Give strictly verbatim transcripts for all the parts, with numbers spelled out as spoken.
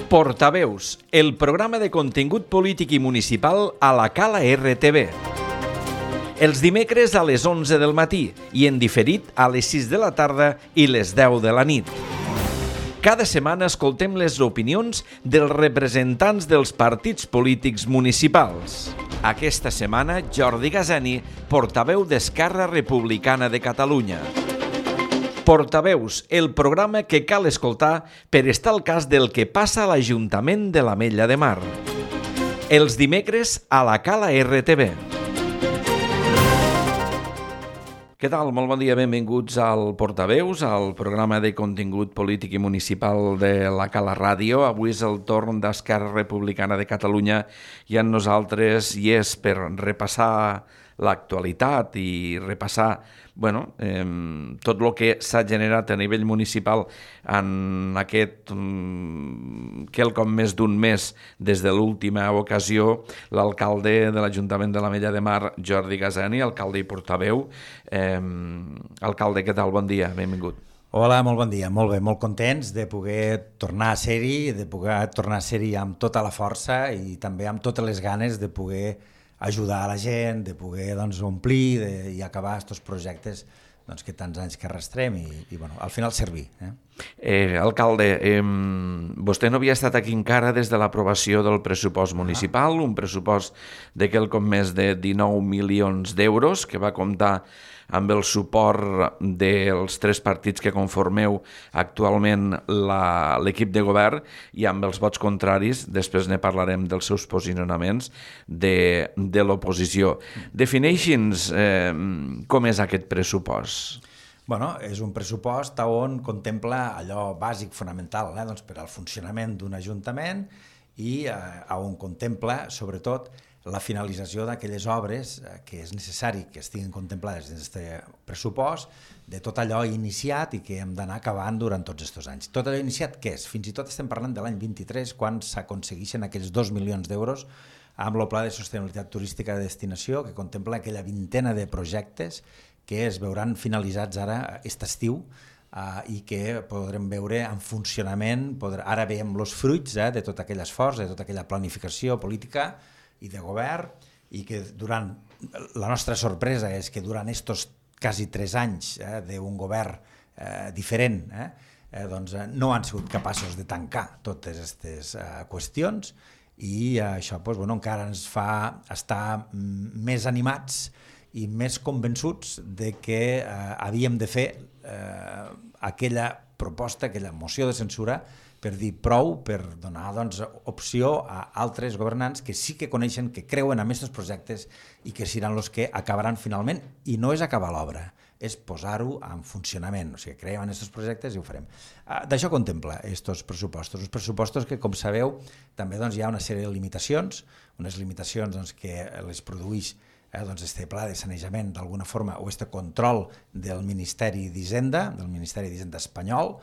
Portaveus, el programa de contingut polític i municipal a la Cala R T V. Els dimecres a les onze del matí i en diferit a les sis de la tarda i les deu de la nit. Cada setmana escoltem les opinions dels representants dels partits polítics municipals. Aquesta setmana, Jordi Gazani, portaveu d'Esquerra Republicana de Catalunya. Portaveus, el programa que cal escoltar per estar al cas del que passa a l'Ajuntament de l'Ametlla de Mar. Els dimecres a la Cala R T V. Què tal? Molt bon dia, benvinguts al Portaveus, al programa de contingut polític i municipal de la Cala Ràdio. Avui és el torn d'Esquerra Republicana de Catalunya i amb nosaltres hi és per repassar l'actualitat i repassar bueno, eh, tot el que s'ha generat a nivell municipal en aquest um, quelcom més d'un mes des de l'última ocasió, l'alcalde de l'Ajuntament de l'Ametlla de Mar, Jordi Gazani, alcalde i portaveu. Eh, alcalde, què tal? Bon dia, benvingut. Hola, molt bon dia, molt bé, molt contents de poder tornar a ser-hi, de poder tornar a ser-hi amb tota la força i també amb totes les ganes de poder ajudar a la gent, de poder doncs, omplir de, i acabar aquests projectes doncs, que tants anys que arrastrem i, i bueno, al final servir. Eh? Eh, alcalde, eh, vostè no havia estat aquí encara des de l'aprovació del pressupost municipal, ah. un pressupost de quelcom més de dinou milions d'euros que va comptar amb el suport dels tres partits que conformeu actualment l'equip de govern i amb els vots contraris, després ne parlarem dels seus posicionaments, de, de l'oposició. Defineixi'ns eh, com és aquest pressupost. Bueno, és un pressupost on contempla allò bàsic, fonamental, eh? doncs per al funcionament d'un ajuntament i eh, on contempla, sobretot, la finalització d'aquelles obres que és necessari que estiguin contemplades en aquest pressupost, de tot allò iniciat i que hem d'anar acabant durant tots aquests anys. Tot allò iniciat, què és? Fins i tot estem parlant de l'any vint-i-tres, quan s'aconsegueixen aquells dos milions d'euros amb el Pla de Sostenibilitat Turística de Destinació, que contempla aquella vintena de projectes que es veuran finalitzats ara aquest estiu uh, i que podrem veure en funcionament. Podrà, ara veiem els fruits eh, de tot aquell esforç, de tota aquella planificació política i de govern, i que durant, la nostra sorpresa és que durant estos quasi tres anys eh, d'un govern eh, diferent, eh, eh, doncs, eh, no han sigut capaços de tancar totes aquestes eh, qüestions i eh, això doncs, bueno, encara ens fa estar més animats i més convençuts de que eh, havíem de fer eh, aquella proposta, aquella moció de censura per dir prou, per donar doncs, opció a altres governants que sí que coneixen, que creuen en aquests projectes i que seran els que acabaran finalment. I no és acabar l'obra, és posar-ho en funcionament. O sigui, creiem en aquests projectes i ho farem. Uh, D'això contempla aquests pressupostos. Els pressupostos que, com sabeu, també doncs, hi ha una sèrie de limitacions, unes limitacions doncs, que les produeix eh, doncs, este pla de sanejament d'alguna forma o este control del Ministeri d'Hisenda, del Ministeri d'Hisenda espanyol,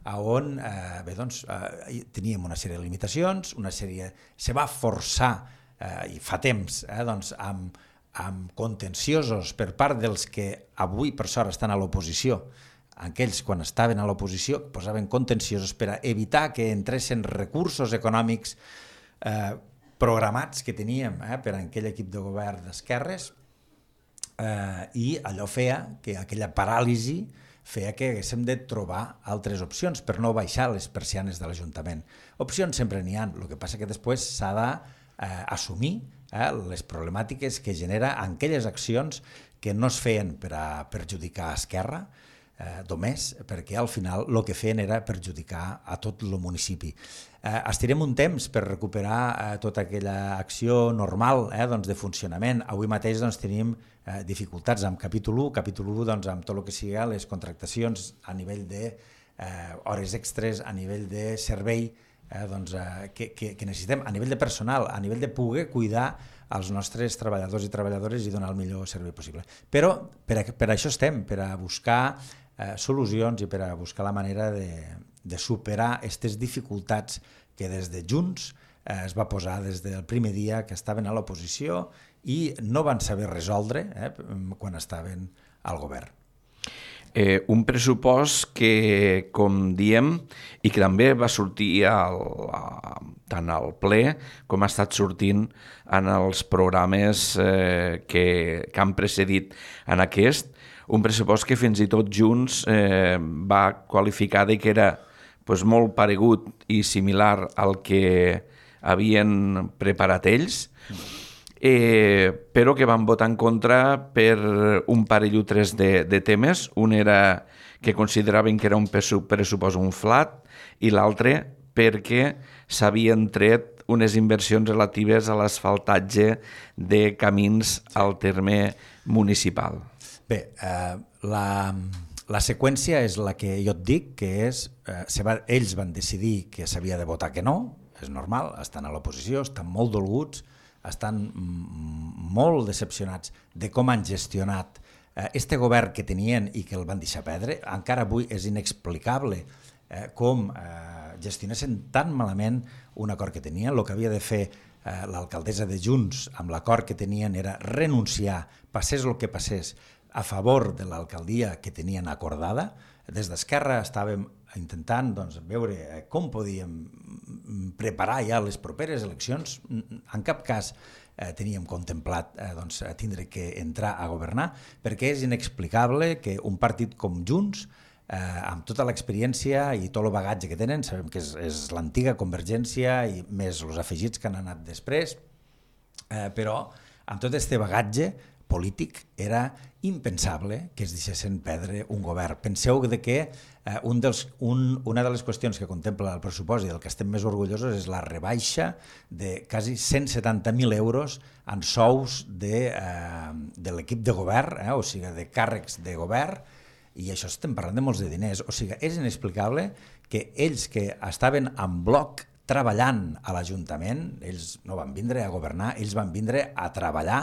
on eh, bé, doncs, eh, teníem una sèrie de limitacions, una sèrie... Se va forçar, eh, i fa temps, eh, doncs, amb, amb contenciosos per part dels que avui per sort estan a l'oposició. Aquells, quan estaven a l'oposició, posaven contenciosos per a evitar que entressin recursos econòmics eh, programats que teníem eh, per a aquell equip de govern d'esquerres eh, i allò feia que aquella paràlisi feia que haguéssim de trobar altres opcions per no baixar les persianes de l'Ajuntament. Opcions sempre n'hi ha, el que passa que després s'ha d'assumir eh, les problemàtiques que genera aquelles accions que no es feien per a perjudicar a Esquerra, eh, només perquè al final el que feien era perjudicar a tot el municipi. Eh, estirem un temps per recuperar eh, tota aquella acció normal eh, doncs, de funcionament. Avui mateix doncs, tenim eh, dificultats amb capítol u, capítol u doncs, amb tot el que sigui les contractacions a nivell de eh, hores extres, a nivell de servei eh, doncs, eh, que, que, que necessitem, a nivell de personal, a nivell de poder cuidar als nostres treballadors i treballadores i donar el millor servei possible. Però per a, per a això estem, per a buscar eh, solucions i per a buscar la manera de, de superar aquestes dificultats que des de Junts eh, es va posar des del primer dia que estaven a l'oposició i no van saber resoldre eh, quan estaven al govern. Eh, un pressupost que, com diem, i que també va sortir al, a, tant al ple com ha estat sortint en els programes eh, que, que han precedit en aquest, un pressupost que fins i tot Junts eh, va qualificar de que era pues, molt paregut i similar al que havien preparat ells, eh, però que van votar en contra per un parell o tres de, de temes. Un era que consideraven que era un pressupost inflat i l'altre perquè s'havien tret unes inversions relatives a l'asfaltatge de camins al terme municipal. Bé, eh, la, la seqüència és la que jo et dic, que és, eh, se va, ells van decidir que s'havia de votar que no, és normal, estan a l'oposició, estan molt dolguts, estan molt decepcionats de com han gestionat este govern que tenien i que el van deixar perdre. Encara avui és inexplicable eh, com eh, gestionessin tan malament un acord que tenien. El que havia de fer eh, l'alcaldessa de Junts amb l'acord que tenien era renunciar, passés el que passés, a favor de l'alcaldia que tenien acordada. Des d'Esquerra estàvem intentant doncs, veure com podíem preparar ja les properes eleccions. En cap cas eh, teníem contemplat eh, doncs, tindre que entrar a governar, perquè és inexplicable que un partit com Junts, eh, amb tota l'experiència i tot el bagatge que tenen, sabem que és, és l'antiga Convergència i més els afegits que han anat després, eh, però amb tot aquest bagatge polític era impensable que es deixessin perdre un govern. Penseu de que eh, un dels, un, una de les qüestions que contempla el pressupost i del que estem més orgullosos és la rebaixa de quasi cent setanta mil euros en sous de, eh, de l'equip de govern, eh, o sigui, de càrrecs de govern, i això estem parlant de molts de diners. O sigui, és inexplicable que ells que estaven en bloc treballant a l'Ajuntament, ells no van vindre a governar, ells van vindre a treballar,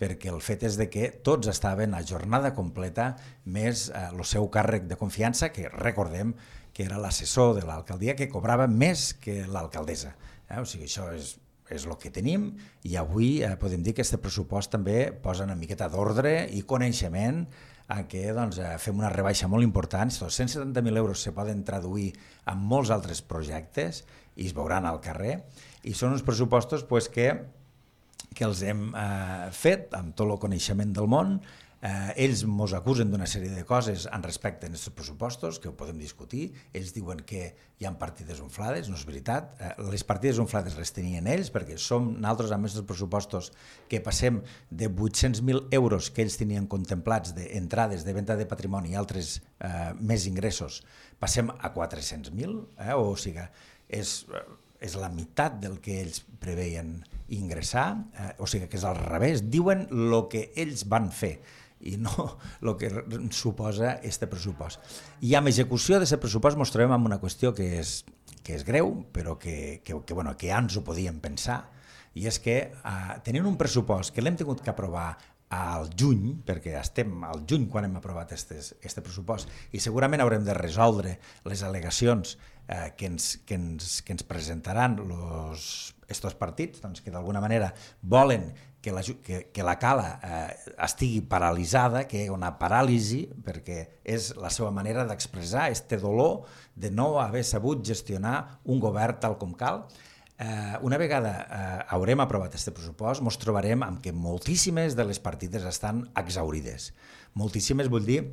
perquè el fet és de que tots estaven a jornada completa més el eh, seu càrrec de confiança, que recordem que era l'assessor de l'alcaldia que cobrava més que l'alcaldessa. Eh? O sigui, això és, és el que tenim i avui eh, podem dir que aquest pressupost també posa una miqueta d'ordre i coneixement en què doncs, eh, fem una rebaixa molt important. Els cent setanta mil euros se poden traduir en molts altres projectes i es veuran al carrer, i són uns pressupostos pues, que que els hem eh, fet amb tot el coneixement del món. Eh, ells ens acusen d'una sèrie de coses en respecte a aquests pressupostos, que ho podem discutir. Ells diuen que hi ha partides inflades, no és veritat. Eh, les partides inflades les tenien ells, perquè som nosaltres amb aquests pressupostos que passem de vuit-cents mil euros que ells tenien contemplats d'entrades de venda de patrimoni i altres eh, més ingressos, passem a quatre-cents mil, eh, o sigui, és... és la meitat del que ells preveien ingressar, eh, o sigui que és al revés, diuen el que ells van fer i no el que suposa aquest pressupost. I amb execució d'aquest pressupost ens trobem amb una qüestió que és, que és greu, però que, que, que, bueno, que ja ens ho podíem pensar, i és que eh, tenint un pressupost que l'hem tingut que aprovar al juny, perquè estem al juny quan hem aprovat aquest pressupost, i segurament haurem de resoldre les al·legacions eh, que, ens, que, ens, que ens presentaran aquests partits, doncs, que d'alguna manera volen que la, que, que la cala eh, estigui paralitzada, que hi ha una paràlisi, perquè és la seva manera d'expressar este dolor de no haver sabut gestionar un govern tal com cal. Eh, una vegada eh, haurem aprovat aquest pressupost, ens trobarem amb que moltíssimes de les partides estan exaurides. Moltíssimes vull dir,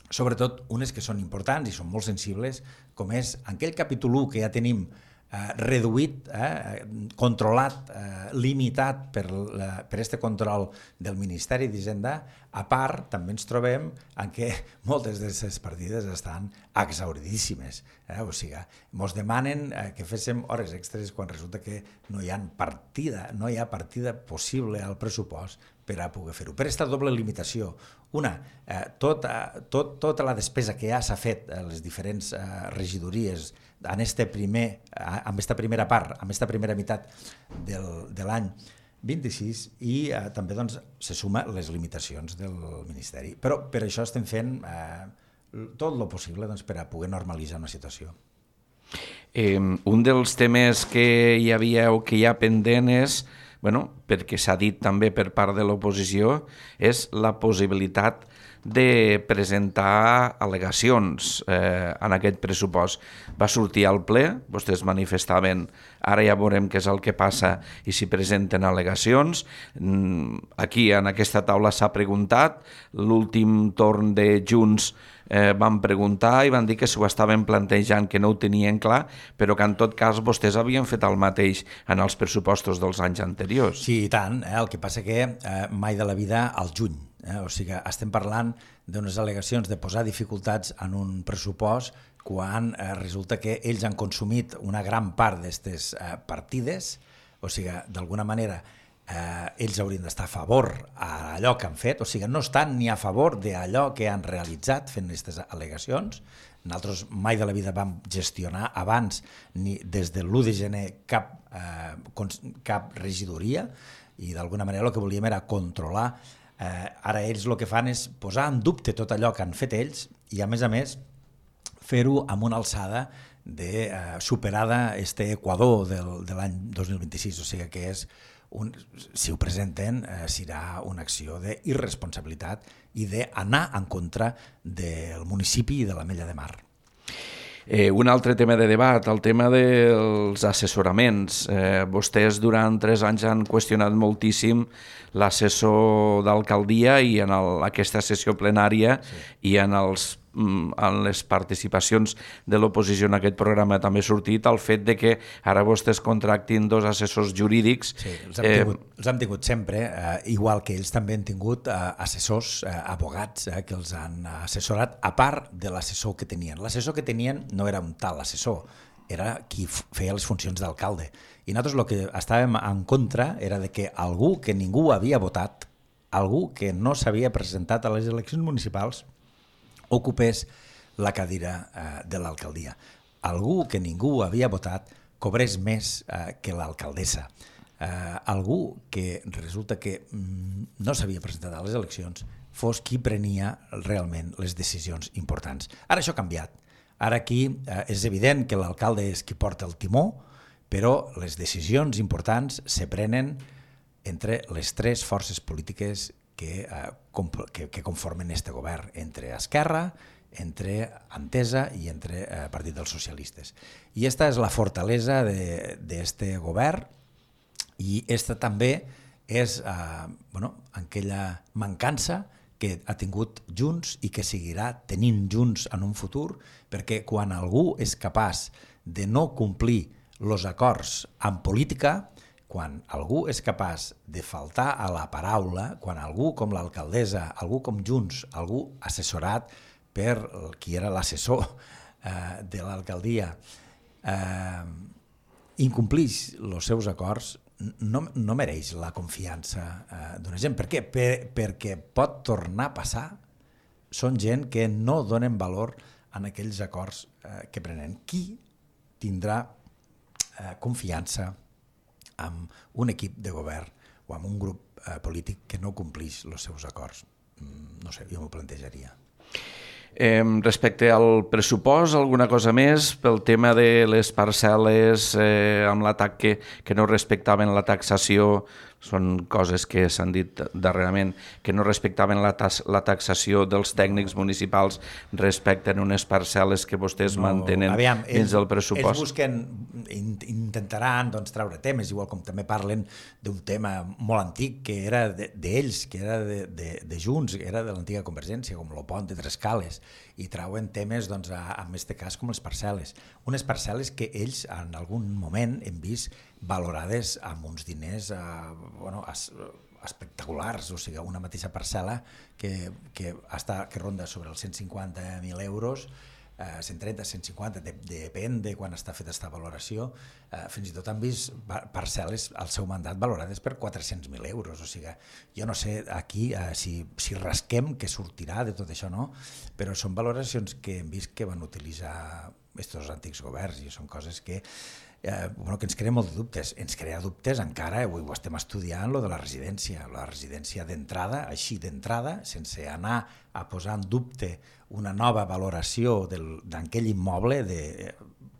sobretot unes que són importants i són molt sensibles, com és aquell capítol u que ja tenim eh, reduït, eh, controlat, eh, limitat per aquest control del Ministeri d'Hisenda. A part, també ens trobem en què moltes d'aquestes partides estan exauridíssimes. Eh? O sigui, ens demanen eh, que féssim hores extres quan resulta que no hi ha partida, no hi ha partida possible al pressupost per a poder fer-ho. Per aquesta doble limitació, una, eh, tota, tot, tota la despesa que ja s'ha fet a les diferents eh, regidories en este primer, amb aquesta primera part, amb aquesta primera meitat del, de l'any vint-i-sis, i eh, també doncs, se suma les limitacions del Ministeri. Però per això estem fent eh, tot el possible doncs, per a poder normalitzar una situació. Eh, un dels temes que hi havia o que hi ha pendent és, bueno, perquè s'ha dit també per part de l'oposició, és la possibilitat de presentar al·legacions eh, en aquest pressupost. Va sortir al ple, vostès manifestaven, ara ja veurem què és el que passa i si presenten al·legacions. Aquí, en aquesta taula, s'ha preguntat, l'últim torn de Junts eh, van preguntar i van dir que s'ho estaven plantejant, que no ho tenien clar, però que en tot cas vostès havien fet el mateix en els pressupostos dels anys anteriors. Sí, i tant. Eh? El que passa que eh, mai de la vida al juny. Eh? O sigui, estem parlant d'unes al·legacions de posar dificultats en un pressupost quan eh, resulta que ells han consumit una gran part d'aquestes eh, partides, o sigui, d'alguna manera eh, ells haurien d'estar a favor a allò que han fet, o sigui, no estan ni a favor d'allò que han realitzat fent aquestes al·legacions. Nosaltres mai de la vida vam gestionar abans, ni des de l'u de gener, cap, eh, cap regidoria, i d'alguna manera el que volíem era controlar. Eh, ara ells el que fan és posar en dubte tot allò que han fet ells i, a més a més, fer-ho amb una alçada de eh, superada este Equador del, de l'any dos mil vint-i-sis, o sigui que és un, si ho presenten eh, serà una acció d'irresponsabilitat i d'anar en contra del municipi i de l'Ametlla de Mar. Eh, un altre tema de debat, el tema dels assessoraments. Eh, vostès durant tres anys han qüestionat moltíssim l'assessor d'alcaldia i en el, aquesta sessió plenària sí. i en els en les participacions de l'oposició en aquest programa també ha sortit el fet de que ara vostès contractin dos assessors jurídics. Sí, els hem tingut, eh, els hem tingut sempre, eh, igual que ells també han tingut eh, assessors, eh, abogats, eh, que els han assessorat, a part de l'assessor que tenien. L'assessor que tenien no era un tal assessor, era qui feia les funcions d'alcalde. I nosaltres el que estàvem en contra era de que algú que ningú havia votat, algú que no s'havia presentat a les eleccions municipals, ocupés la cadira eh, de l'alcaldia. Algú que ningú havia votat cobrés més eh, que l'alcaldessa. Eh, algú que resulta que mm, no s'havia presentat a les eleccions fos qui prenia realment les decisions importants. Ara això ha canviat. Ara aquí eh, és evident que l'alcalde és qui porta el timó, però les decisions importants se prenen entre les tres forces polítiques que, eh, que, que conformen este govern, entre Esquerra, entre Entesa i entre eh, Partit dels Socialistes. I esta és la fortalesa d'este govern i esta també és eh, bueno, aquella mancança que ha tingut Junts i que seguirà tenint Junts en un futur, perquè quan algú és capaç de no complir els acords en política, quan algú és capaç de faltar a la paraula, quan algú com l'alcaldessa, algú com Junts, algú assessorat per qui era l'assessor eh, de l'alcaldia, eh, incomplix els seus acords, no, no mereix la confiança eh, d'una gent. Per què? Per, perquè pot tornar a passar. Són gent que no donen valor en aquells acords eh, que prenen. Qui tindrà eh, confiança amb un equip de govern o amb un grup eh, polític que no complix els seus acords? No sé, jo m'ho plantejaria. Eh, respecte al pressupost, alguna cosa més pel tema de les parcel·les eh, amb l'atac que, que no respectaven la taxació? Són coses que s'han dit darrerament, que no respectaven la, tax, la taxació dels tècnics municipals respecte a unes parcel·les que vostès no, mantenen aviam, dins ells, del pressupost. Ells busquen, intentaran doncs, treure temes, igual com també parlen d'un tema molt antic que era d'ells, de, que era de, de, de Junts, que era de l'antiga Convergència, com el pont de Trescales, i trauen temes, doncs, a, en aquest cas, com les parcel·les. Unes parcel·les que ells en algun moment hem vist valorades amb uns diners eh, bueno, es, espectaculars, o sigui, una mateixa parcel·la que, que, està, que ronda sobre els cent cinquanta mil euros, eh, cent trenta, cent cinquanta, de, depèn de quan està feta aquesta valoració, eh, fins i tot han vist parcel·les al seu mandat valorades per quatre-cents mil euros, o sigui, jo no sé aquí eh, si, si rasquem què sortirà de tot això, no? Però són valoracions que hem vist que van utilitzar aquests antics governs i són coses que Eh, bueno, que ens crea molt de dubtes. Ens crea dubtes encara, avui ho estem estudiant, lo de la residència. La residència d'entrada, així d'entrada, sense anar a posar en dubte una nova valoració d'aquell immoble, de,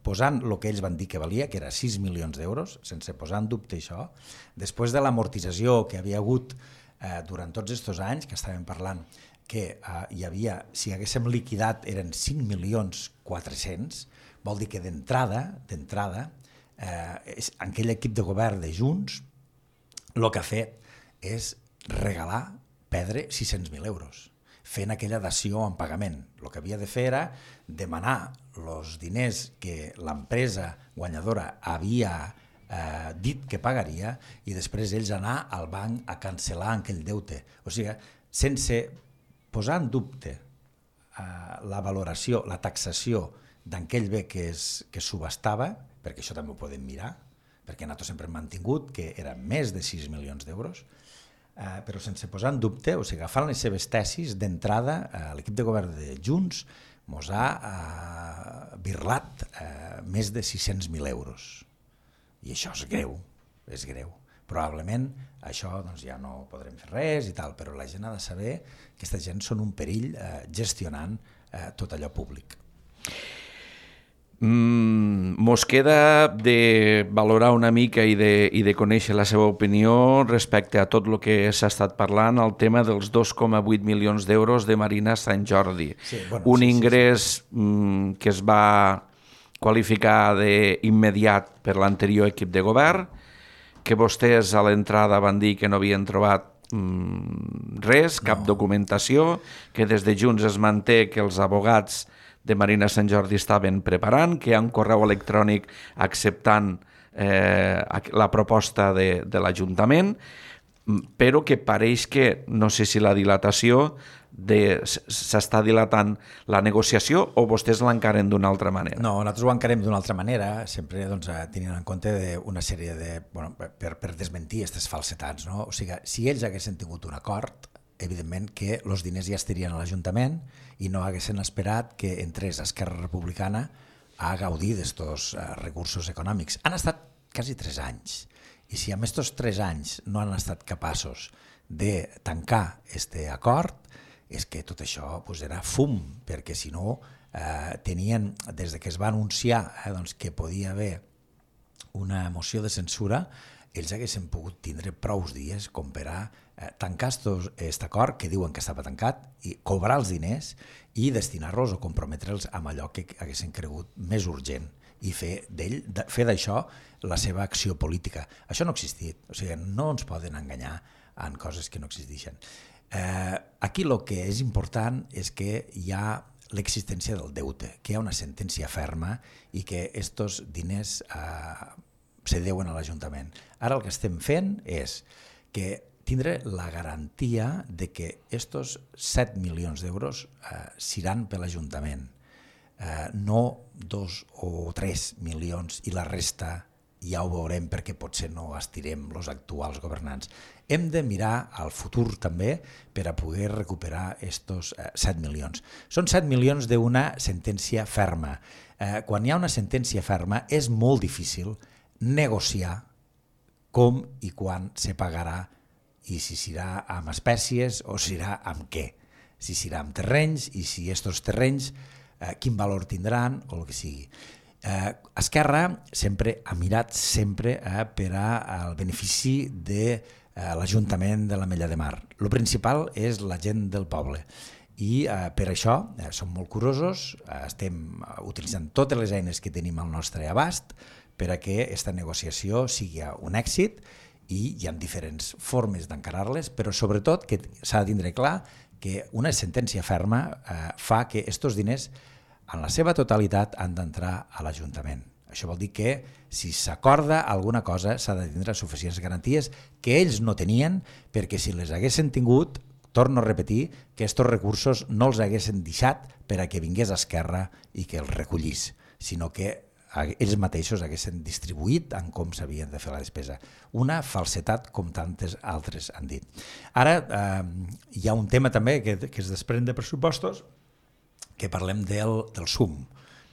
posant el que ells van dir que valia, que era sis milions d'euros, sense posar en dubte això. Després de l'amortització que havia hagut eh, durant tots aquests anys, que estàvem parlant que uh, hi havia, si haguéssim liquidat eren cinc milions quatre-cents, vol dir que d'entrada, d'entrada, eh, aquell equip de govern de Junts el que ha fet és regalar, perdre sis cents mil euros, fent aquella dació en pagament. El que havia de fer era demanar els diners que l'empresa guanyadora havia eh, dit que pagaria i després ells anar al banc a cancel·lar aquell deute. O sigui, sense posar en dubte eh, la valoració, la taxació d'aquell bé que es, que es subhastava, perquè això també ho podem mirar, perquè nosaltres sempre hem mantingut que era més de sis milions d'euros, eh, però sense posar en dubte, o sigui, agafant les seves tesis, d'entrada, eh, l'equip de govern de Junts mos ha eh, birlat eh, més de sis-cents mil euros. I això és greu, és greu. Probablement això doncs, ja no podrem fer res i tal, però la gent ha de saber que aquesta gent són un perill eh, gestionant eh, tot allò públic. Mm, mos queda de valorar una mica i de, i de conèixer la seva opinió respecte a tot el que s'ha estat parlant, el tema dels dos coma vuit milions d'euros de Marina Sant Jordi. Sí, bueno, un sí, ingrés sí, sí. Mm, que es va qualificar d'immediat per l'anterior equip de govern, que vostès a l'entrada van dir que no havien trobat mm, res, cap no. documentació, que des de Junts es manté que els abogats de Marina Sant Jordi estaven preparant, que hi ha un correu electrònic acceptant eh, la proposta de, de l'Ajuntament, però que pareix que, no sé si la dilatació, de, s'està dilatant la negociació o vostès l'encaren d'una altra manera? No, nosaltres ho encarem d'una altra manera, sempre doncs, tenint en compte una sèrie de... Bueno, per, per desmentir aquestes falsetats, no? O sigui, si ells haguessin tingut un acord, evidentment que els diners ja estarien a l'Ajuntament i no haguessin esperat que entrés Esquerra Republicana a gaudir d'estos uh, recursos econòmics. Han estat quasi tres anys i si en aquests tres anys no han estat capaços de tancar aquest acord, és que tot això pues, era fum, perquè si no eh, tenien, des de que es va anunciar eh, doncs, que podia haver una moció de censura, ells haguessin pogut tindre prous dies com per a eh, tancar aquest acord que diuen que estava tancat i cobrar els diners i destinar-los o comprometre'ls amb allò que haguessin cregut més urgent i fer d'ell, fer d'això la seva acció política. Això no ha existit, o sigui, no ens poden enganyar en coses que no existeixen. Eh, aquí el que és important és que hi ha l'existència del deute, que hi ha una sentència ferma i que aquests diners eh, se deuen a l'Ajuntament. Ara el que estem fent és que tindre la garantia de que aquests set milions d'euros eh, seran per l'Ajuntament, eh, no dos o tres milions i la resta ja ho veurem perquè potser no estirem els actuals governants. Hem de mirar al futur també per a poder recuperar aquests eh, set milions. Són set milions d'una sentència ferma. Eh, quan hi ha una sentència ferma és molt difícil negociar com i quan se pagarà i si serà amb espècies o serà amb què. Si serà amb terrenys i si aquests terrenys eh, quin valor tindran o el que sigui. Eh, Esquerra sempre ha mirat sempre eh, per al benefici de eh, l'Ajuntament de l'Ametlla de Mar. El principal és la gent del poble i eh, per això eh, som molt curosos, eh, estem utilitzant totes les eines que tenim al nostre abast per a que aquesta negociació sigui un èxit i hi ha diferents formes d'encarar-les, però sobretot que s'ha de tindre clar que una sentència ferma eh, fa que aquests diners en la seva totalitat han d'entrar a l'Ajuntament. Això vol dir que si s'acorda alguna cosa s'ha de tindre suficients garanties que ells no tenien, perquè si les haguessin tingut, torno a repetir, que aquests recursos no els haguessin deixat per a que vingués Esquerra i que els recollís, sinó que ells mateixos haguessin distribuït en com s'havien de fer la despesa. Una falsetat com tantes altres han dit. Ara eh, hi ha un tema també que, que es desprèn de pressupostos, que parlem del, del S U M,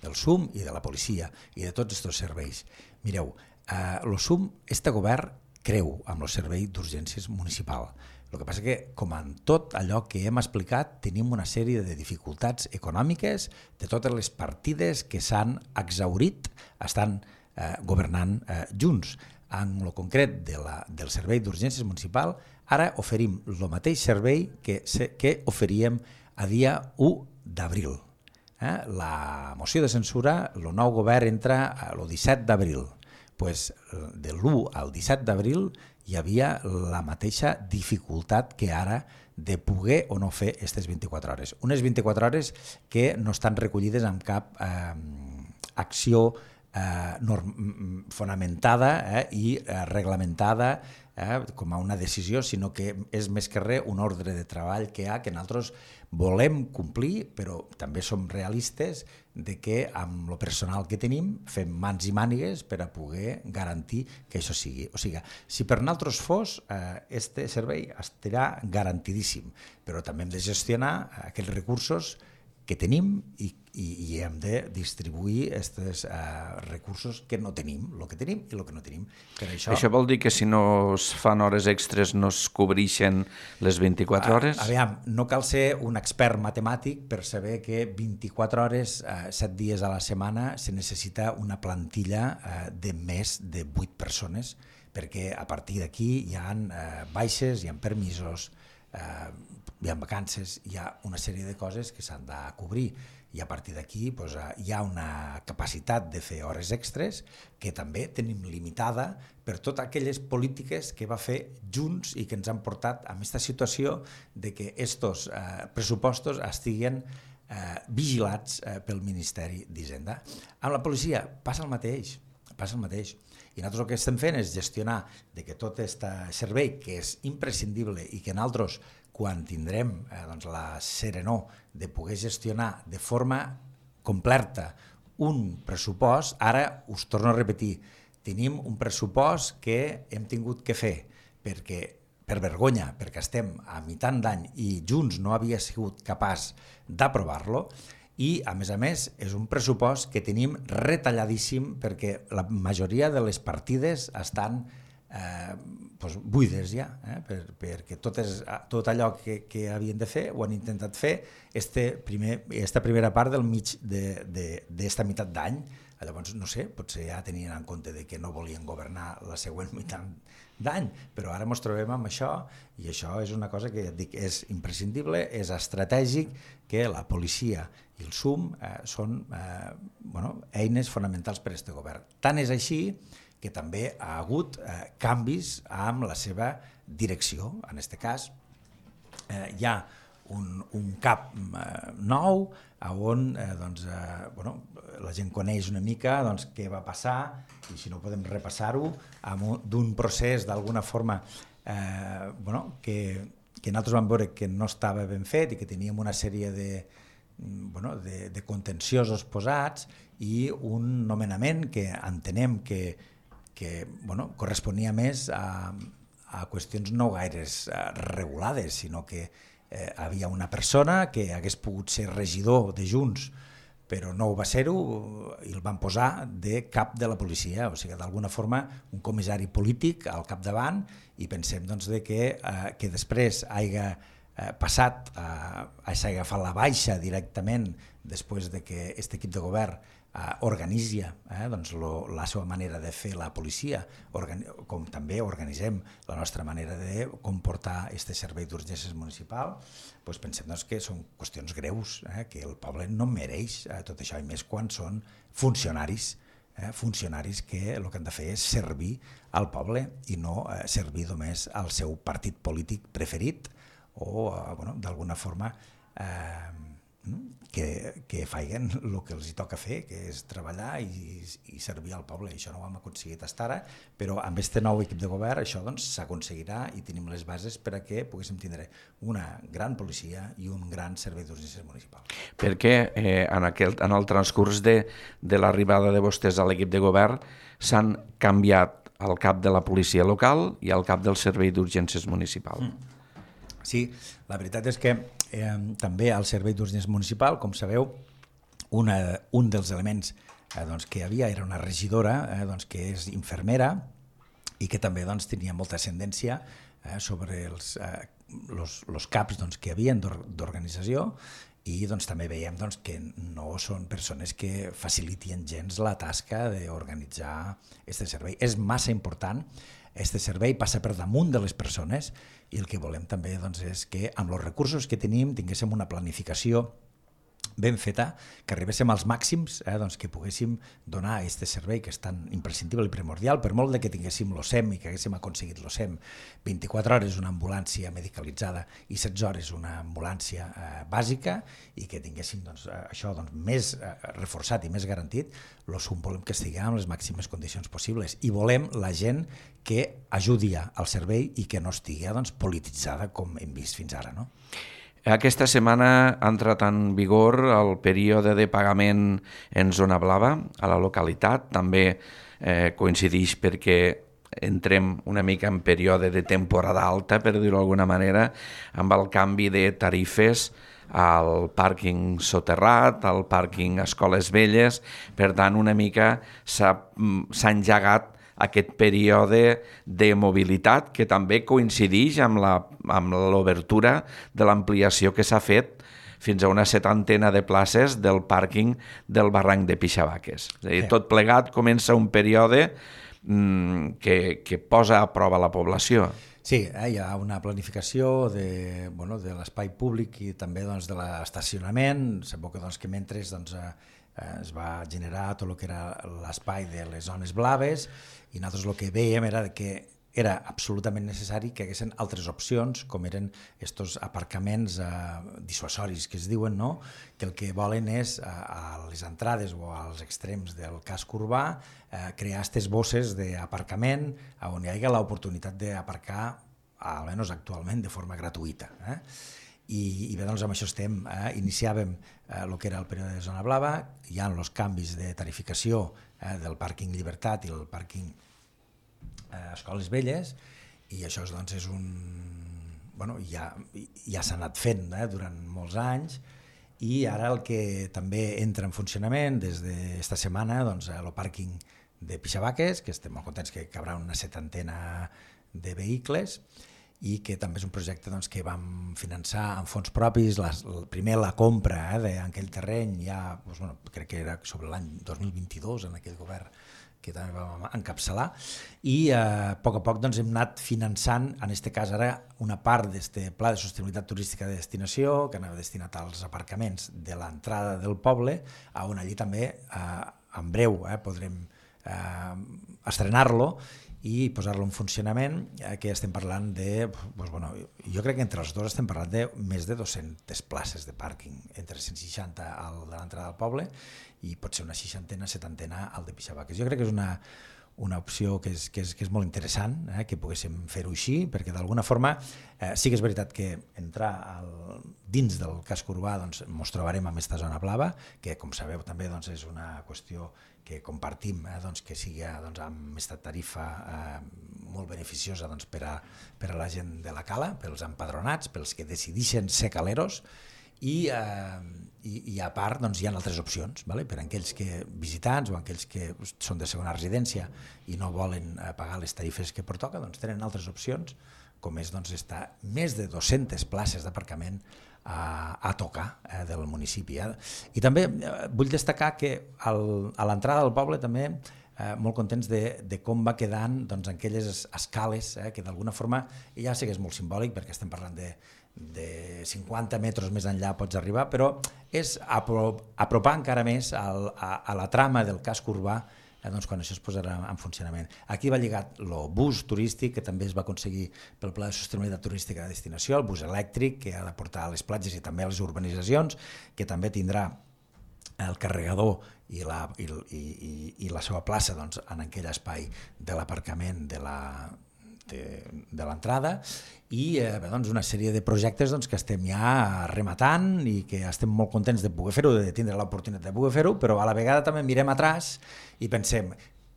del S U M i de la policia i de tots aquests serveis. Mireu, eh, el S U M, este govern creu amb el servei d'urgències municipal. El que passa que, com en tot allò que hem explicat, tenim una sèrie de dificultats econòmiques de totes les partides que s'han exhaurit, estan eh, governant eh, junts. En el concret de la, del servei d'urgències municipal ara oferim el mateix servei que, que oferíem a dia u d'abril. Eh? La moció de censura, el nou govern entra el disset d'abril. Pues, de l'u al disset d'abril hi havia la mateixa dificultat que ara de poder o no fer aquestes vint-i-quatre hores. Unes vint-i-quatre hores que no estan recollides en cap eh, acció eh, norm, fonamentada eh, i eh, reglamentada eh, com a una decisió, sinó que és més que res un ordre de treball que hi ha, que nosaltres volem complir, però també som realistes de que amb el personal que tenim fem mans i mànigues per a poder garantir que això sigui. O sigui, si per nosaltres fos, eh, este servei estarà garantidíssim, però també hem de gestionar aquells recursos que tenim i, i, i hem de distribuir aquests eh, recursos que no tenim, el que tenim i el que no tenim. Per això, això vol dir que si no es fan hores extres no es cobreixen les vint-i-quatre hores? A, aviam, no cal ser un expert matemàtic per saber que vint-i-quatre hores, eh, set dies a la setmana, se necessita una plantilla eh, de més de vuit persones, perquè a partir d'aquí hi ha eh, baixes, hi ha permisos, eh, hi ha vacances, hi ha una sèrie de coses que s'han de cobrir i a partir d'aquí doncs, hi ha una capacitat de fer hores extres que també tenim limitada per totes aquelles polítiques que va fer Junts i que ens han portat a aquesta situació de que estos eh, pressupostos estiguen eh, vigilats eh, pel Ministeri d'Hisenda. Amb la policia passa el mateix, passa el mateix. I nosaltres el que estem fent és gestionar de que tot aquest servei, que és imprescindible i que nosaltres, quan tindrem eh, doncs, la serenor de poder gestionar de forma completa un pressupost, ara us torno a repetir, tenim un pressupost que hem tingut que fer perquè, per vergonya, perquè estem a mitant d'any i Junts no havia sigut capaç d'aprovar-lo, i a més a més és un pressupost que tenim retalladíssim perquè la majoria de les partides estan eh, doncs buides ja, eh? per, perquè tot, és, tot allò que, que havien de fer ho han intentat fer este primer, esta primera part del mig d'esta meitat d'any. Llavors, no sé, potser ja tenien en compte de que no volien governar la següent meitat d'any, però ara ens trobem amb això i això és una cosa que ja et dic, és imprescindible, és estratègic, que la policia i el S U M eh, són eh, bueno, eines fonamentals per a aquest govern. Tant és així que també ha hagut eh, canvis amb la seva direcció. En aquest cas eh, hi ha un, un cap eh, nou on eh, doncs, eh, bueno, la gent coneix una mica doncs, què va passar i si no podem repassar-ho d'un procés d'alguna forma eh, bueno, que, que nosaltres vam veure que no estava ben fet i que teníem una sèrie de, bueno, de, de contenciosos posats i un nomenament que entenem que, que bueno, corresponia més a, a qüestions no gaires regulades, sinó que eh, havia una persona que hagués pogut ser regidor de Junts, però no ho va ser-ho i el van posar de cap de la policia, o sigui, d'alguna forma un comissari polític al capdavant i pensem doncs, de que, eh, que després hagi eh, passat, eh, hagi agafat la baixa directament després de que aquest equip de govern eh, organitzi eh, doncs, lo, la seva manera de fer la policia, organi com també organitzem la nostra manera de comportar aquest servei d'urgències municipal, doncs pensem doncs, que són qüestions greus, eh, que el poble no mereix eh, tot això, i més quan són funcionaris, eh, funcionaris que el que han de fer és servir al poble i no eh, servir només al seu partit polític preferit o eh, bueno, d'alguna forma eh, que, que feien el que els hi toca fer, que és treballar i, i servir al poble. Això no ho hem aconseguit fins ara, però amb aquest nou equip de govern això s'aconseguirà doncs, i tenim les bases per a que poguéssim tindre una gran policia i un gran servei d'urgències municipal. Perquè eh, en, aquel, en el transcurs de, de l'arribada de vostès a l'equip de govern s'han canviat el cap de la policia local i el cap del servei d'urgències municipal. Mm. Sí, la veritat és que eh, també al servei d'urgències municipal, com sabeu, una, un dels elements eh, doncs, que hi havia era una regidora eh, doncs, que és infermera i que també doncs, tenia molta ascendència eh, sobre els, eh, los, los caps doncs, que hi havia d'organització i doncs, també veiem doncs, que no són persones que facilitien gens la tasca d'organitzar aquest servei. És massa important, aquest servei passa per damunt de les persones i el que volem també doncs, és que amb els recursos que tenim tinguéssim una planificació ben feta, que arribéssim als màxims, eh, doncs que poguéssim donar aquest servei que és tan imprescindible i primordial, per molt de que tinguéssim l'O S E M i que haguéssim aconseguit l'O S E M vint-i-quatre hores una ambulància medicalitzada i setze hores una ambulància eh, bàsica i que tinguéssim doncs, això doncs, més eh, reforçat i més garantit, l'O S U M volem que estigui en les màximes condicions possibles i volem la gent que ajudi al servei i que no estigui doncs, polititzada com hem vist fins ara, no? Aquesta setmana ha entrat en vigor el període de pagament en zona blava a la localitat. També eh, coincideix perquè entrem una mica en període de temporada alta, per dir-ho d'alguna manera, amb el canvi de tarifes al pàrquing soterrat, al pàrquing Escoles Velles. Per tant, una mica s'ha, s'ha engegat aquest període de mobilitat que també coincideix amb la, amb l'obertura de l'ampliació que s'ha fet fins a una setantena de places del pàrquing del barranc de Pixabaques. És a dir, tot plegat comença un període mmm, que, que posa a prova la població. Sí, eh, hi ha una planificació de, bueno, de l'espai públic i també doncs, de l'estacionament. Sembla que, doncs, que mentre doncs, eh, es va generar tot el que era l'espai de les zones blaves i nosaltres el que veiem era que era absolutament necessari que haguessin altres opcions, com eren estos aparcaments eh, dissuasoris que es diuen, no? Que el que volen és a, a les entrades o als extrems del casc urbà eh, crear aquestes bosses d'aparcament on hi hagi l'oportunitat d'aparcar, almenys actualment, de forma gratuïta. Eh? I, i bé, doncs amb això estem. Eh? Iniciàvem el eh, que era el període de zona blava, hi ha els canvis de tarificació eh, del pàrquing Llibertat i el pàrquing eh, Escoles Velles, i això doncs, és un... Bueno, ja, ja s'ha anat fent eh, durant molts anys, i ara el que també entra en funcionament des d'esta setmana, doncs, el pàrquing de Pixabaques, que estem molt contents que cabrà una setantena de vehicles, i que també és un projecte doncs, que vam finançar amb fons propis, les, primer la compra eh, d'aquell terreny, ja, doncs, bueno, crec que era sobre l'any dos mil vint-i-dos en aquell govern que també vam encapçalar, i eh, a poc a poc doncs, hem anat finançant, en aquest cas ara, una part d'aquest pla de sostenibilitat turística de destinació, que anava destinat als aparcaments de l'entrada del poble, on allí també, eh, en breu, eh, podrem eh, estrenar-lo, i posar-lo en funcionament, eh, que estem parlant de, doncs, bueno, jo crec que entre els dos estem parlant de més de dues-centes places de pàrquing, entre cent seixanta al de l'entrada del poble i pot ser una seixantena, setantena al de Pixabaques. Jo crec que és una, una opció que és, que és, que és molt interessant, eh, que poguéssim fer-ho així, perquè d'alguna forma eh, sí que és veritat que entrar al, dins del casc urbà doncs, ens trobarem amb aquesta zona blava, que com sabeu també doncs, és una qüestió que compartim, eh, doncs, que sigui doncs, amb aquesta tarifa eh, molt beneficiosa doncs, per, a, per a la gent de la cala, pels empadronats, pels que decideixen ser caleros, i, eh, i, i a part doncs, hi ha altres opcions, vale? Per a aquells que, visitants o aquells que són de segona residència i no volen eh, pagar les tarifes que pertoca, doncs, tenen altres opcions, com és doncs, estar més de dues-centes places d'aparcament a, a tocar eh, del municipi. Eh? I també eh, vull destacar que al, a l'entrada del poble també eh, molt contents de, de com va quedant doncs, aquelles escales, eh, que d'alguna forma ja sé que és molt simbòlic perquè estem parlant de, de cinquanta metres més enllà pots arribar, però és apropar encara més al, a, a la trama del casc urbà eh, doncs, quan això es posarà en funcionament. Aquí va lligat el bus turístic, que també es va aconseguir pel Pla de Sostenibilitat Turística de Destinació, el bus elèctric, que ha de portar a les platges i també a les urbanitzacions, que també tindrà el carregador i la, i, i, i la seva plaça doncs, en aquell espai de l'aparcament de la de, de l'entrada, i eh, bé, doncs una sèrie de projectes doncs, que estem ja rematant i que estem molt contents de poder fer-ho, de tindre l'oportunitat de poder fer-ho, però a la vegada també mirem atràs i pensem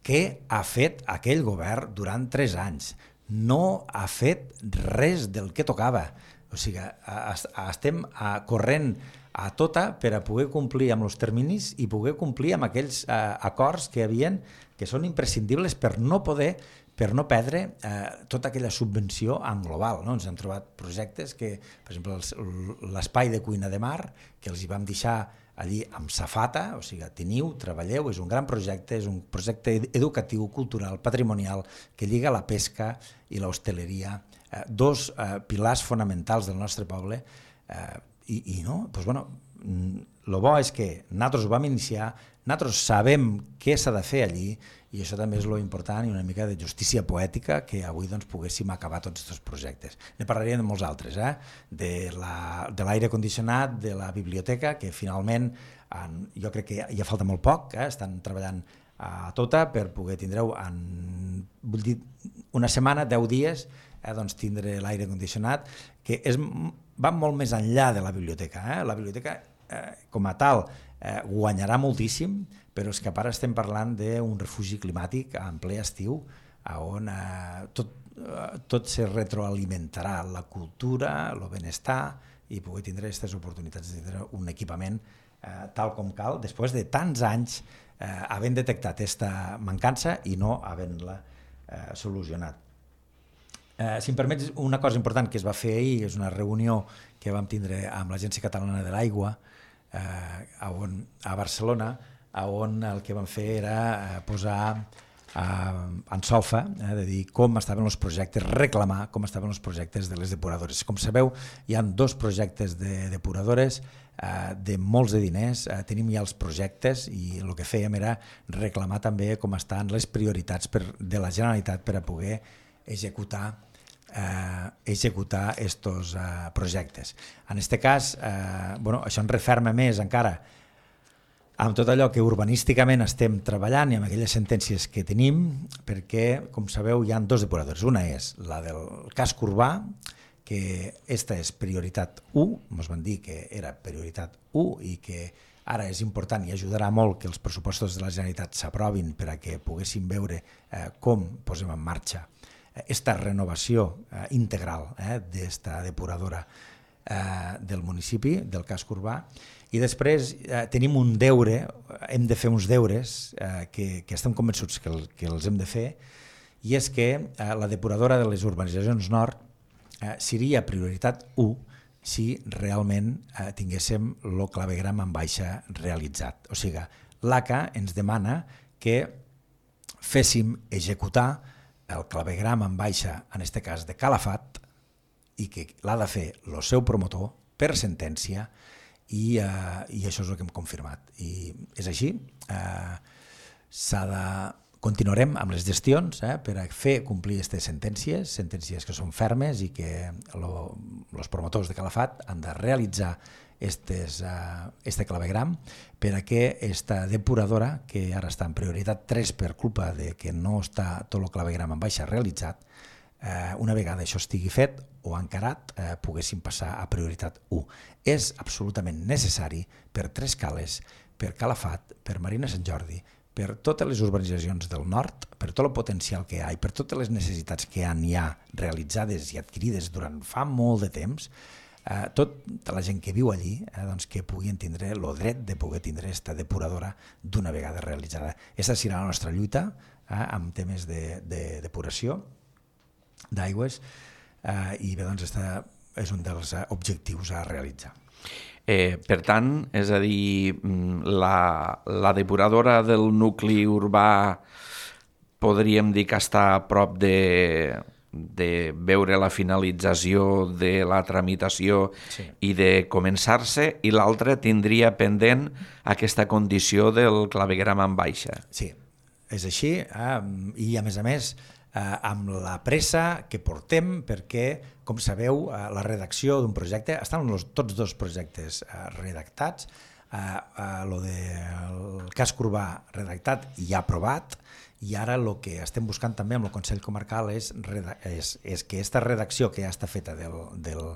què ha fet aquell govern durant tres anys? No ha fet res del que tocava. O sigui, estem corrent a tota per a poder complir amb els terminis i poder complir amb aquells eh, acords que havien, que són imprescindibles per no poder per no perdre eh, tota aquella subvenció en global. No? Ens hem trobat projectes que, per exemple, l'espai de cuina de mar, que els hi vam deixar allí amb safata, o sigui, teniu, treballeu, és un gran projecte, és un projecte educatiu, cultural, patrimonial, que lliga la pesca i l'hostaleria, eh, dos eh, pilars fonamentals del nostre poble, eh, i, i no, doncs bueno, el bo és que nosaltres ho vam iniciar, nosaltres sabem què s'ha de fer allí, i això també és lo important i una mica de justícia poètica que avui doncs, poguéssim acabar tots aquests projectes. Ne parlaríem de molts altres, eh? de l'aire condicionat, de la biblioteca, que finalment en, jo crec que ja falta molt poc, eh? Estan treballant a tota per poder tindreu en vull dir, una setmana, deu dies, eh? doncs tindre l'aire condicionat, que és, va molt més enllà de la biblioteca. Eh? La biblioteca eh, com a tal eh, guanyarà moltíssim, però és que ara estem parlant d'un refugi climàtic en ple estiu on eh, tot, eh, tot se retroalimentarà, la cultura, el benestar, i poder tindre aquestes oportunitats de tindre un equipament eh, tal com cal, després de tants anys eh, havent detectat aquesta mancança i no havent-la eh, solucionat. Eh, si em permets, una cosa important que es va fer ahir, és una reunió que vam tindre amb l'Agència Catalana de l'Aigua eh, on, a Barcelona, on el que vam fer era posar eh, en solfa, eh, de dir com estaven els projectes, reclamar com estaven els projectes de les depuradores. Com sabeu, hi ha dos projectes de depuradores eh, de molts de diners, eh, tenim ja els projectes i el que fèiem era reclamar també com estan les prioritats per, de la Generalitat per a poder executar eh, executar estos eh, projectes. En aquest cas, eh, bueno, això ens referma més encara amb tot allò que urbanísticament estem treballant i amb aquelles sentències que tenim, perquè, com sabeu, hi ha dos depuradores. Una és la del casc urbà, que esta és prioritat u, ens van dir que era prioritat u i que ara és important i ajudarà molt que els pressupostos de la Generalitat s'aprovin per a que poguéssim veure eh, com posem en marxa aquesta renovació eh, integral eh, d'esta depuradora eh, del municipi, del casc urbà. I després eh, tenim un deure, hem de fer uns deures eh, que, que estem convençuts que, el, que els hem de fer, i és que eh, la depuradora de les urbanitzacions nord eh, seria prioritat u si realment eh, tinguéssim el clavegram en baixa realitzat. O sigui, l'A C A ens demana que féssim executar el clavegram en baixa, en aquest cas de Calafat, i que l'ha de fer el seu promotor per sentència, i, uh, i això és el que hem confirmat. I és així, uh, s'ha de... continuarem amb les gestions eh, per a fer complir aquestes sentències, sentències que són fermes i que els promotors de Calafat han de realitzar estes, uh, este clavegram per a que aquesta depuradora, que ara està en prioritat tres per culpa de que no està tot el clavegram en baixa realitzat, uh, una vegada això estigui fet o encarat, uh, poguéssim passar a prioritat u. És absolutament necessari per Tres Cales, per Calafat, per Marina Sant Jordi, per totes les urbanitzacions del nord, per tot el potencial que hi ha i per totes les necessitats que hi ha realitzades i adquirides durant fa molt de temps, eh, tota la gent que viu allí eh, doncs que puguin tindre el dret de poder tindre aquesta depuradora d'una vegada realitzada. Aquesta serà la nostra lluita eh, amb temes de, de depuració d'aigües eh, i bé, doncs, aquesta és un dels objectius a realitzar. Eh, per tant, és a dir, la, la depuradora del nucli urbà podríem dir que està a prop de, de veure la finalització de la tramitació sí. i de començar-se, i l'altra tindria pendent aquesta condició del clavegram en baixa. Sí, és així, eh? I a més a més, eh, amb la pressa que portem, perquè, com sabeu, eh, la redacció d'un projecte, estan los, tots dos projectes eh, redactats, eh, eh, lo del casc urbà redactat i ja aprovat, i ara el que estem buscant també amb el Consell Comarcal és, és, és que aquesta redacció que ja està feta del, del,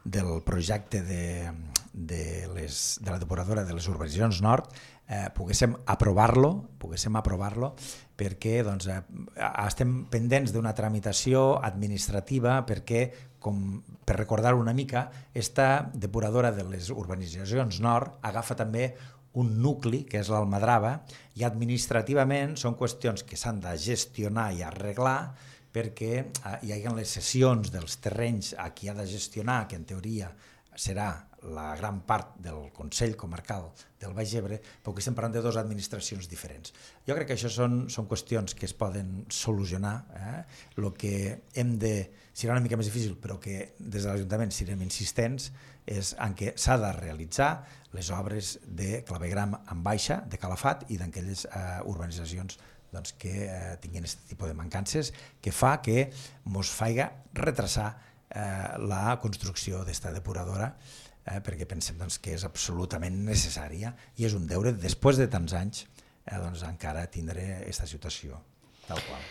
del projecte de, de, les, de la depuradora de les urbanitzacions nord eh, poguéssim aprovar-lo, poguéssim aprovar-lo perquè doncs, eh, estem pendents d'una tramitació administrativa perquè, com per recordar una mica, esta depuradora de les urbanitzacions nord agafa també un nucli, que és l'Almadrava, i administrativament són qüestions que s'han de gestionar i arreglar perquè hi hagi les cessions dels terrenys a qui ha de gestionar, que en teoria serà la gran part del Consell Comarcal del Baix Ebre, però que estem parlant de dues administracions diferents. Jo crec que això són, són qüestions que es poden solucionar. Eh? Lo que hem de, serà una mica més difícil, però que des de l'Ajuntament serem insistents, és en què s'ha de realitzar les obres de clavegram en baixa, de calafat, i d'aquelles eh, urbanitzacions doncs, que eh, tinguin aquest tipus de mancances, que fa que mos faiga retrasar eh, la construcció d'esta depuradora, eh, perquè pensem doncs, que és absolutament necessària i és un deure, després de tants anys, eh, doncs, encara tindré aquesta situació tal qual.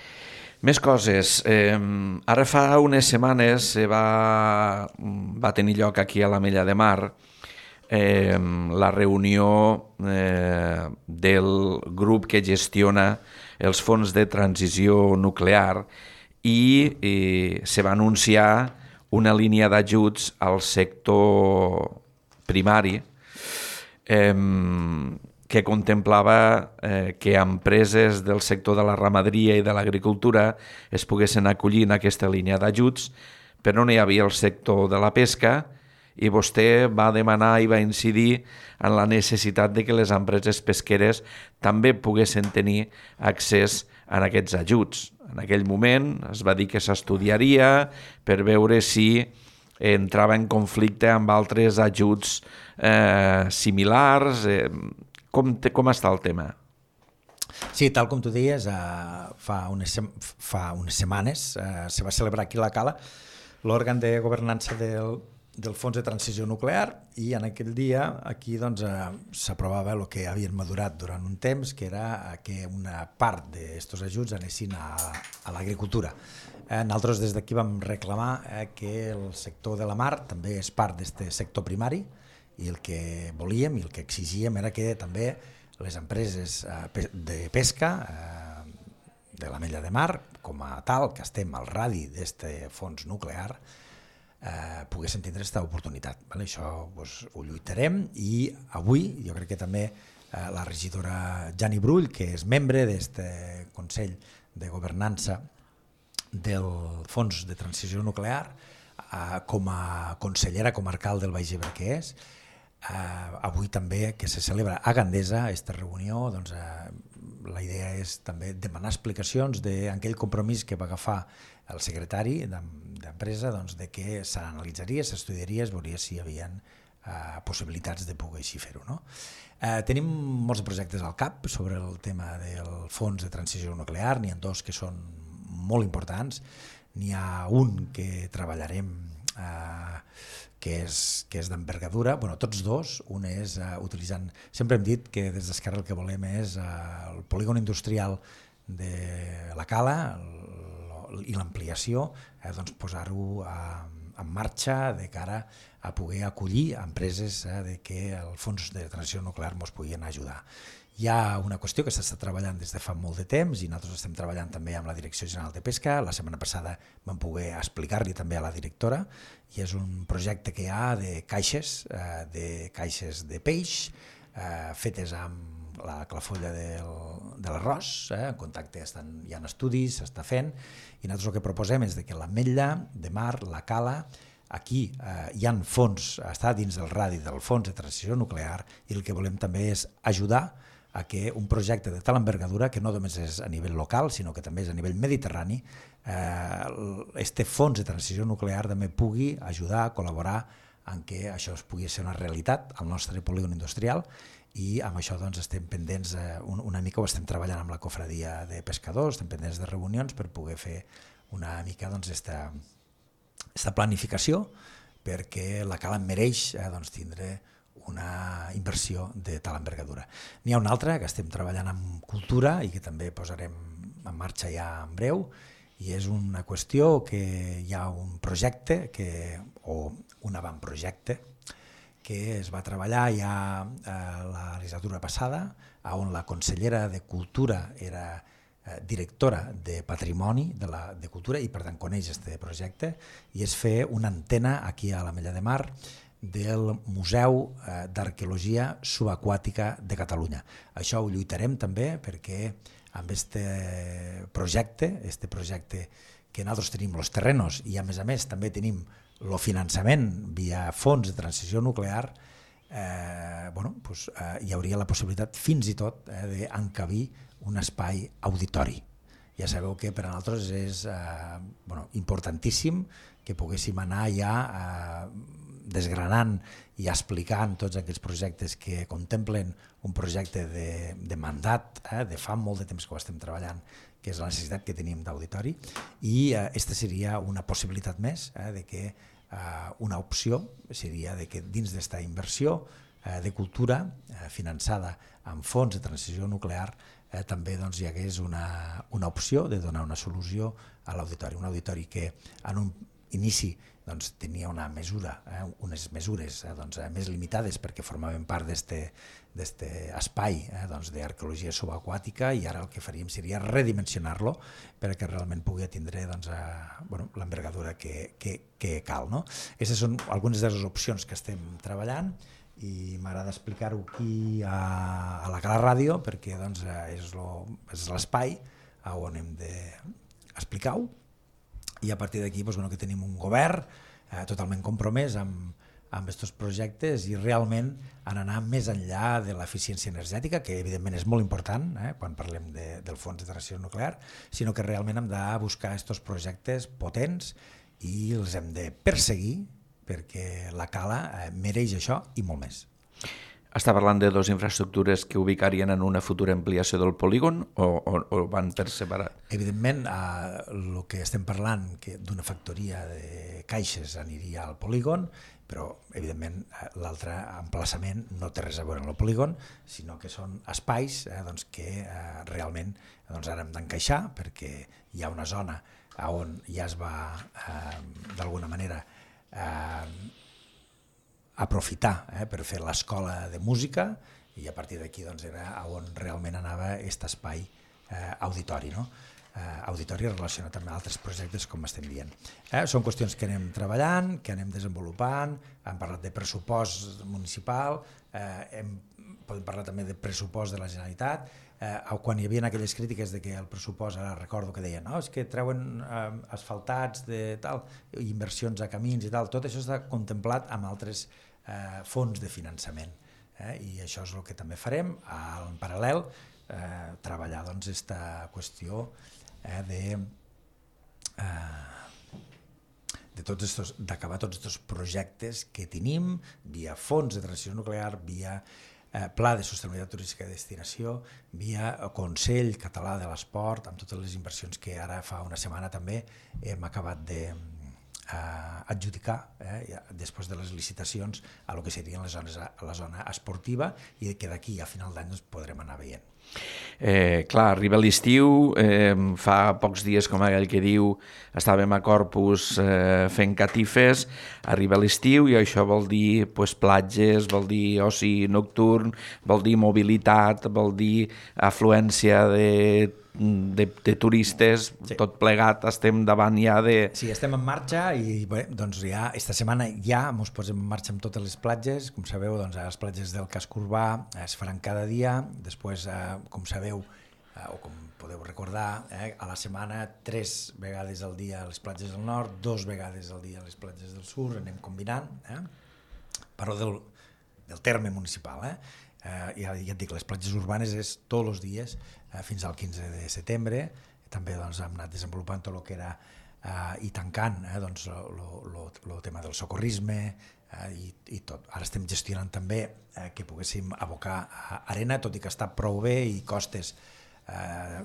Més coses. Eh, ara fa unes setmanes eh, va, va tenir lloc aquí a l'Ametlla de Mar eh, la reunió eh, del grup que gestiona els fons de transició nuclear i eh, se va anunciar una línia d'ajuts al sector primari eh, que contemplava eh, que empreses del sector de la ramaderia i de l'agricultura es poguessin acollir en aquesta línia d'ajuts, però no hi havia el sector de la pesca i vostè va demanar i va incidir en la necessitat de que les empreses pesqueres també poguessin tenir accés a aquests ajuts. En aquell moment es va dir que s'estudiaria per veure si entrava en conflicte amb altres ajuts eh, similars. Eh, com, te, com està el tema? Sí, tal com tu deies, eh, fa, unes, fa unes setmanes eh, se va celebrar aquí a la Cala l'òrgan de governança del, del Fons de Transició Nuclear i en aquell dia aquí doncs, eh, s'aprovava el que havien madurat durant un temps, que era que una part d'aquests ajuts anessin a, a l'agricultura. Eh, nosaltres des d'aquí vam reclamar eh, que el sector de la mar també és part d'aquest sector primari i el que volíem i el que exigíem era que també les empreses eh, de pesca eh, de l'Ametlla de Mar, com a tal, que estem al radi d'aquest fons nuclear, eh, poguessin tindre aquesta oportunitat. Vale? Això doncs, ho lluitarem i avui jo crec que també eh, la regidora Jani Brull, que és membre d'aquest Consell de Governança del Fons de Transició Nuclear, eh, com a consellera comarcal del Baix Ebre que és, Uh, avui també que se celebra a Gandesa aquesta reunió, doncs, uh, la idea és també demanar explicacions d'aquell compromís que va agafar el secretari d'empresa, doncs, de que s'analitzaria, s'estudiaria, es veuria si hi havia uh, possibilitats de poder així fer-ho. No? Uh, tenim molts projectes al cap sobre el tema del fons de transició nuclear, n'hi ha dos que són molt importants, n'hi ha un que treballarem uh, que és, que és d'envergadura, bueno, tots dos, un és uh, utilitzant, sempre hem dit que des d'Esquerra el que volem és uh, el polígon industrial de la Cala el, i l'ampliació, eh, doncs posar-ho uh, en marxa de cara a poder acollir empreses eh, de que el fons de transició nuclear ens puguin ajudar. Hi ha una qüestió que s'està treballant des de fa molt de temps i nosaltres estem treballant també amb la Direcció General de Pesca. La setmana passada vam poder explicar-li també a la directora i és un projecte que hi ha de caixes, eh, de caixes de peix eh, fetes amb la clafolla del, de l'arròs, eh, en contacte estan, hi ha estudis, s'està fent i nosaltres el que proposem és de que l'Ametlla de Mar, la Cala, aquí eh, hi ha fons, està dins del radi del fons de transició nuclear i el que volem també és ajudar a que un projecte de tal envergadura, que no només és a nivell local, sinó que també és a nivell mediterrani, eh, este fons de transició nuclear també pugui ajudar a col·laborar en què això es pugui ser una realitat al nostre polígon industrial i amb això doncs, estem pendents, eh, una mica ho estem treballant amb la cofradia de pescadors, estem pendents de reunions per poder fer una mica doncs, esta, esta planificació perquè la Cala mereix eh, doncs, tindre una inversió de tal envergadura. N'hi ha una altra que estem treballant amb cultura i que també posarem en marxa ja en breu i és una qüestió que hi ha un projecte que, o un avantprojecte que es va treballar ja a la legislatura passada, on la consellera de Cultura era directora de Patrimoni de, la, de Cultura i per tant coneix aquest projecte, i és fer una antena aquí a l'Ametlla de Mar del Museu d'Arqueologia Subaquàtica de Catalunya. Això ho lluitarem també perquè amb aquest projecte, este projecte que nosaltres tenim els terrenos i a més a més també tenim el finançament via fons de transició nuclear, eh, bueno, pues, eh, hi hauria la possibilitat fins i tot eh, d'encabir un espai auditori. Ja sabeu que per a nosaltres és eh, bueno, importantíssim que poguéssim anar ja eh, desgranant i explicant tots aquests projectes que contemplen un projecte de, de mandat, eh, de fa molt de temps que ho estem treballant, que és la necessitat que tenim d'auditori, i aquesta eh, seria una possibilitat més eh, de que eh, una opció seria de que dins d'esta inversió eh, de cultura eh, finançada amb fons de transició nuclear Eh, també doncs, hi hagués una, una opció de donar una solució a l'auditori. Un auditori que en un inici doncs, tenia una mesura, eh, unes mesures eh, doncs, eh, més limitades perquè formaven part d'aquest espai eh, doncs, d'arqueologia subaquàtica, i ara el que faríem seria redimensionar-lo perquè realment pugui tindre doncs, eh, bueno, l'envergadura que, que, que cal. No? Aquestes són algunes de les opcions que estem treballant, i m'agrada explicar-ho aquí a, a la Cala Ràdio perquè doncs, és l'espai on hem d'explicar-ho, i a partir d'aquí doncs, bueno, que tenim un govern eh, totalment compromès amb, amb aquests projectes i realment en anar més enllà de l'eficiència energètica, que evidentment és molt important eh, quan parlem de, del fons de transició nuclear, sinó que realment hem de buscar aquests projectes potents i els hem de perseguir perquè la Cala eh, mereix això i molt més. Està parlant de dues infraestructures que ubicarien en una futura ampliació del polígon o, o, o van per separat? Evidentment, eh, el que estem parlant que d'una factoria de caixes aniria al polígon, però evidentment eh, l'altre emplaçament no té res a veure amb el polígon, sinó que són espais eh, doncs, que eh, realment doncs, ara hem d'encaixar perquè hi ha una zona on ja es va eh, d'alguna manera Eh, aprofitar eh, per fer l'escola de música, i a partir d'aquí doncs, era on realment anava aquest espai eh, auditori, no? eh, auditori relacionat amb altres projectes com estem dient. Eh, són qüestions que anem treballant, que anem desenvolupant, hem parlat de pressupost municipal, eh, hem, podem parlar també de pressupost de la Generalitat. Eh, quan hi havia aquelles crítiques de que el pressupost, ara recordo que deien no, és que treuen eh, asfaltats de tal, inversions a camins i tal, tot això està contemplat amb altres eh, fons de finançament eh, i això és el que també farem en paral·lel, eh, treballar doncs esta qüestió eh, de eh, de tots estos, d'acabar tots aquests projectes que tenim via fons de transició nuclear, via Eh, Pla de Sostenibilitat Turística de Destinació, via Consell Català de l'Esport, amb totes les inversions que ara fa una setmana també hem acabat de eh, adjudicar eh, després de les licitacions a lo que serien les zones, a la zona esportiva, i que d'aquí a final d'any doncs, podrem anar veient. Eh, clar, arriba l'estiu, eh, fa pocs dies, com aquell que diu, estàvem a Corpus eh, fent catifes, arriba l'estiu i això vol dir pues, platges, vol dir oci nocturn, vol dir mobilitat, vol dir afluència de, de, de turistes, sí. Tot plegat, estem davant ja de... Sí, estem en marxa i bé, doncs ja esta setmana ja ens posem en marxa amb totes les platges, com sabeu, doncs, les platges del casc urbà es faran cada dia, després eh, com sabeu, eh, o com podeu recordar, eh, a la setmana tres vegades al dia a les platges del nord, dos vegades al dia a les platges del sud, anem combinant, eh? Parlo del, del terme municipal. Eh? Eh, ja, ja et dic, les platges urbanes és tots els dies eh, fins al quinze de setembre, també doncs, hem anat desenvolupant tot el que era eh, i tancant eh, doncs, el tema del socorrisme, Eh, i, i tot. Ara estem gestionant també eh, que poguéssim abocar a arena, tot i que està prou bé, i costes, eh,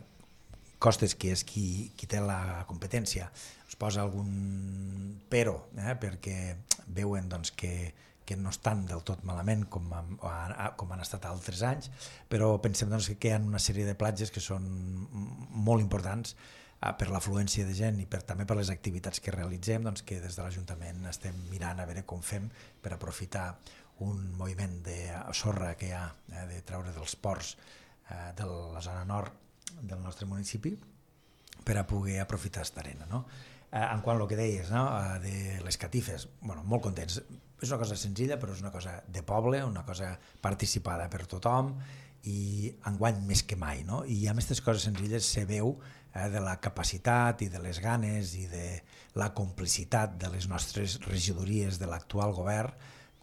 costes que és qui, qui té la competència, es posa algun però, eh, perquè veuen doncs, que, que no estan del tot malament com, a, com han estat altres anys, però pensem doncs, que hi ha una sèrie de platges que són molt importants per l'afluència de gent i per, també per les activitats que realitzem, doncs, que des de l'Ajuntament estem mirant a veure com fem per aprofitar un moviment de sorra que hi ha eh, de treure dels ports eh, de la zona nord del nostre municipi per a poder aprofitar aquesta arena, no? Eh, en quant al que deies, no? eh, de les catifes, bueno, molt contents. És una cosa senzilla, però és una cosa de poble, una cosa participada per tothom i enguany més que mai, no? I amb aquestes coses senzilles se veu eh, de la capacitat i de les ganes i de la complicitat de les nostres regidories de l'actual govern,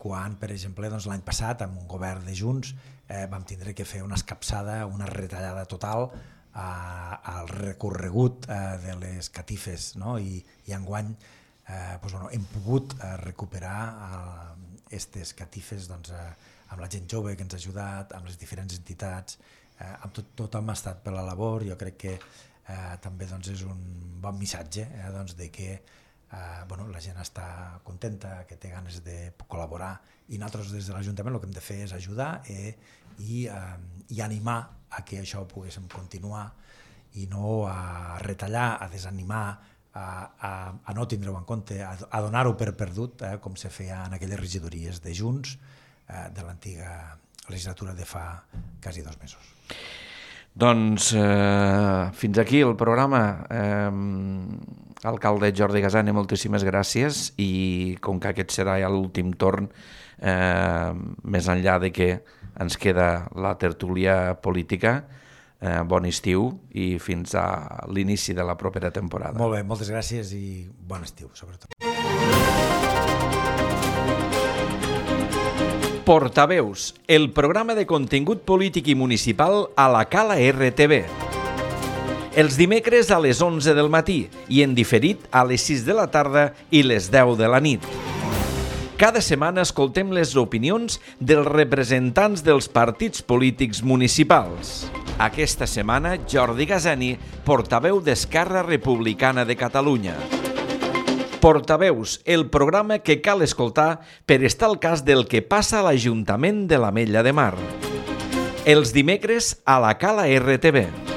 quan, per exemple, doncs, l'any passat, amb un govern de Junts, eh, vam tindre que fer una escapçada, una retallada total eh, al recorregut eh, de les catifes, no? I, i enguany eh, doncs, bueno, hem pogut eh, recuperar aquestes eh, catifes doncs, eh, amb la gent jove que ens ha ajudat, amb les diferents entitats, eh, amb tot, tothom ha estat per la labor. Jo crec que eh, també doncs, és un bon missatge eh, doncs, de que eh, bueno, la gent està contenta, que té ganes de col·laborar, i nosaltres des de l'Ajuntament el que hem de fer és ajudar eh, i, eh, i animar a que això ho poguéssim continuar i no a retallar, a desanimar, a, a, a no tindre-ho en compte, a, a donar-ho per perdut, eh, com se feia en aquelles regidories de Junts eh, de l'antiga legislatura de fa quasi dos mesos. Doncs eh, fins aquí el programa. Eh, alcalde Jordi Gasani, moltíssimes gràcies, i com que aquest serà ja l'últim torn, eh, més enllà de que ens queda la tertúlia política, eh, bon estiu i fins a l'inici de la propera temporada. Molt bé, moltes gràcies i bon estiu, sobretot. Portaveus, el programa de contingut polític i municipal a la Cala R T V. Els dimecres a les onze del matí i en diferit a les sis de la tarda i les deu de la nit. Cada setmana escoltem les opinions dels representants dels partits polítics municipals. Aquesta setmana, Jordi Gasani, portaveu d'Esquerra Republicana de Catalunya. Portaveus, el programa que cal escoltar per estar al cas del que passa a l'Ajuntament de l'Ametlla de Mar. Els dimecres a la Cala R T V.